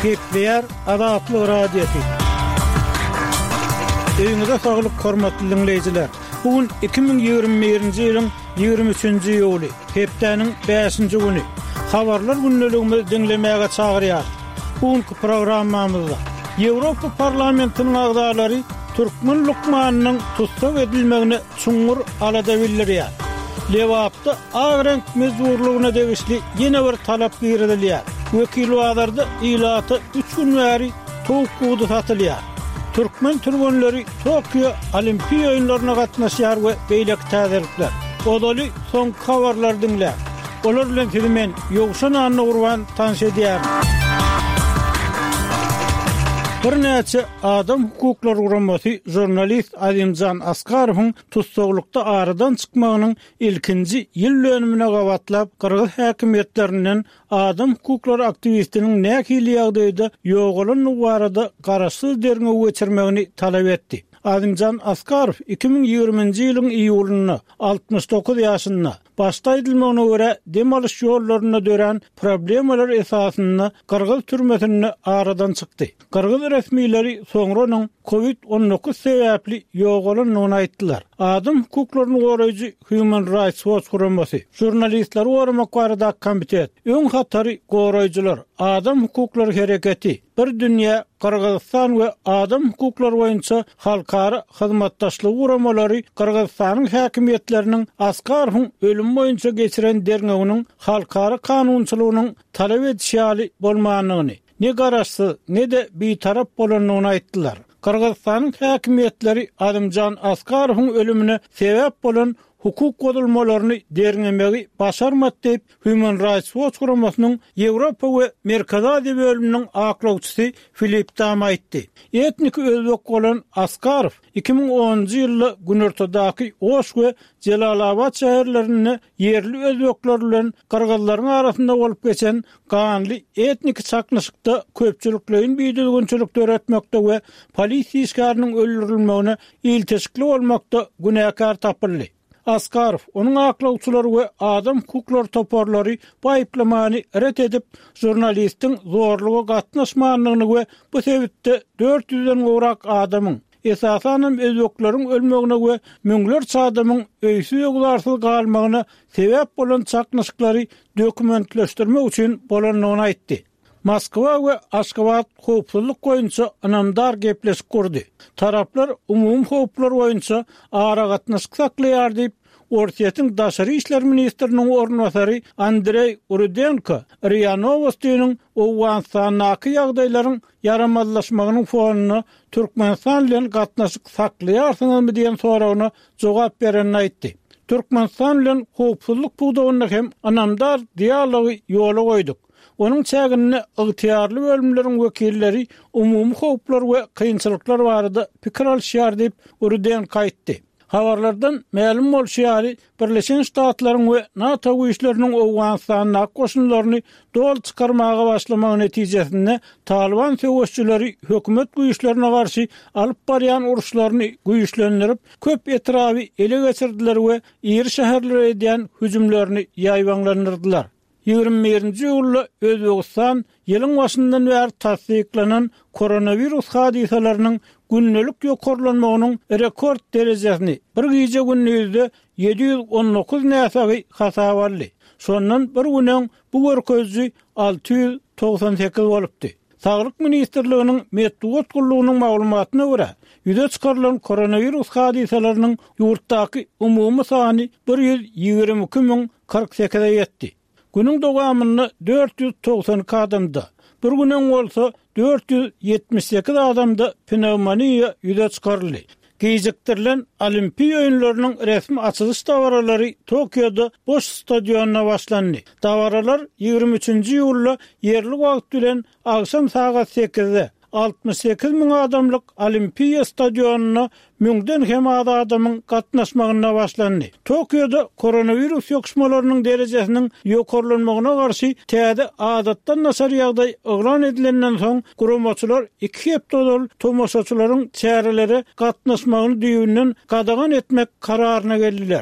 Gepleýär Azatlyk Radiosy. Öýüňize saglyk hormatly diňleýjiler. Bu gün 2021-nji ýylyň 23-nji iýuly, hepdäniň bäşinji güni. Habarlar gündeligimizi diňlemäge çagyrýarys. Bu günki programmamyzda Ýewropa Parlamentiniň agzalary türkmen lukmanynyň tussag edilmegine çuňňur alada bildirýär. Lebapda ak reňk mejburlygyna degişli ýene bir talap girizilýär. Wekilbazarda ilata üç gün bäri towuk budy satylýar. Türkmen türgenleri Tokio Olimpiýa oýunlaryna gatnaşýar we beýleki täzelikler. Ozaly soňky habarlary diňläň. Olar bilen sizi men, Ýowşan Annagurban tanyş edýärin. Birnäçe adam hukuklary guramasy žurnalist Azimjan Askarowyň tussaglykda aradan çykmagynyň ilkinji ýyl dönümine gabatlap gyrgyz häkimiýetlerinden adam hukuklary aktiwistiniň nähili ýagdaýda ýogalandygy barada garaşsyz derňew geçirmegini talap etdi. Azimjan Askarow 2020-nji ýylyň iýulynda, 69 ýaşynda, Başda aýdylmagyna görä, dem alyş ýollarynda dörän problemalar esasynda gyrgyz türmesinde aradan çykdy. Gyrgyz resmileri soňra onuň Covid 19 sebäpli ýogalandygyny aýtdylar. Adam hukuklaryny goraýjy Human Rights Watch guramasy, Žurnalistleri goramak baradaky komitet, Öň hatary goraýjylar, Adam hukuklary hereketi, Bir dünýä Gyrgyzystan we adam hukuklary boýunça halkara hyzmatdaşlygy guramalary Gyrgyzystanyň häkimiýetleriniň Askarowyň ölümi boýunça geçiren derňewiniň halkara kanunçylygynyň talap edişi ýaly bolmandygyny, ne garaşsyz, ne-de bitarap bolandygyny aýtdylar. Gyrgyzystanyň häkimiýetleri Azimjan Askarowyň ölümine sebäp bolan hukuk bozulmalaryny derňemegi başarmady diýip, Human Rights Watch guramasynyň Ýewropa we Merkezi Aziýa bölüminiň aklawçysy Filip Dam aýtdy. Etniki özbek bolan Askarow 2010-njy ýylda günortadaky Oş we Jelalabat şäherlerinde ýerli özbekler bilen gyrgyzlaryň arasynda bolup geçen ganly etniki çaknyşykda köpçülikleýin bidüzgünçilik döretmekde we polisiýa işgäriniň öldürilmegine ilteşikli bolmakda günäkär tapyldy. Askarow, onuň aklawçylary we adam hukuklary toparlary bu aýyplamany ret edip, žurnalistiň zorluga gatnaşmandygyny we bu sebitde dört ýüzden gowrak adamyň, esasanam özbekleriň ölmegine we müňlerçe adamyň öýsüz-öwzarsyz galmagyna sebäp bolan çaknyşyklary dokumentleşdirmek üçin bolandygyny aýtdy. Moskwa we Aşgabat howpsuzlyk boýunça ynamdar gepleşik gurdy. Taraplar umumy howplar boýunça aragatnaşyk saklaýar diýip, Orsýetiň daşary işler ministriniň orunbasary Andreý Rudenko RIA Nowostiniň Owganystandaky ýagdaýlaryň ýaramazlaşmagynyň fonunda Türkmenistan bilen gatnaşyk saklaýarsyňyzmy diýen soragyna jogap berenini aýtdy. Türkmenistan bilen howpsuzlyk pudagynda hem ynamdar dialogy ýola goýduk. Onuň çäginde ygtyýarly bölümleriň wekilleri umumy howplar we kynçylyklar barada pikir alyşýar diýip, Rudenko aýtdy. Habarlardan mälim bolşy ýaly, Birleşen Ştatlaryň we NATO güýçleriniň Owganystandaky goşunlaryny doly çykarmaga başlamagy netijesinde Talyban söweşçileri hökümet güýçlerine garşy alyp barýan uruşlaryny güýçlendirip, köp etraby ele geçirdiler we iri şäherlere edýän hüjümlerini ýaýbaňlandyrdylar. 21-nji iýulda Özbegistan ýylyň başyndan bäri tassyklanan koronawirus hadysalarynyň gündelik ýokarlanmagynyň rekord derejesini, bir gije-gündizde 719 näsagy hasaba aldy. Şondan bir gün öň bu görkeziji 698 bolupdy. Saglyk ministrliginiň metbugat gullugynyň maglumatyna görä, ýüze çykarylan koronawirus hadysalarynyň ýurtdaky umumy sany 122 048-e ýetdi. Günüň dowamynda 492 adamda, bir gün öň bolsa 478 adamda pnewmoniýa ýüze çykaryldy. Gijikdirilen Olimpiýa oýunlarynyň resmi açylyş dabaralary Tokioda boş stadionda başlandy. Dabaralar 23-nji iýulda ýerli wagt bilen agşam sagat sekizde, 68 müň adamlyk Olimpiýa stadionynda müňden hem az adamyň gatnaşmagynda başlandy. Tokioda koronawirus ýokuşmalarynyň derejesiniň ýokarlanmagyna garşy täze adatdan daşary ýagdaý yglan edilenden soň, guramaçylar iki hepde ozal tomaşaçylaryň çärelere gatnaşmagyny düýbünden gadagan etmek kararyna geldiler.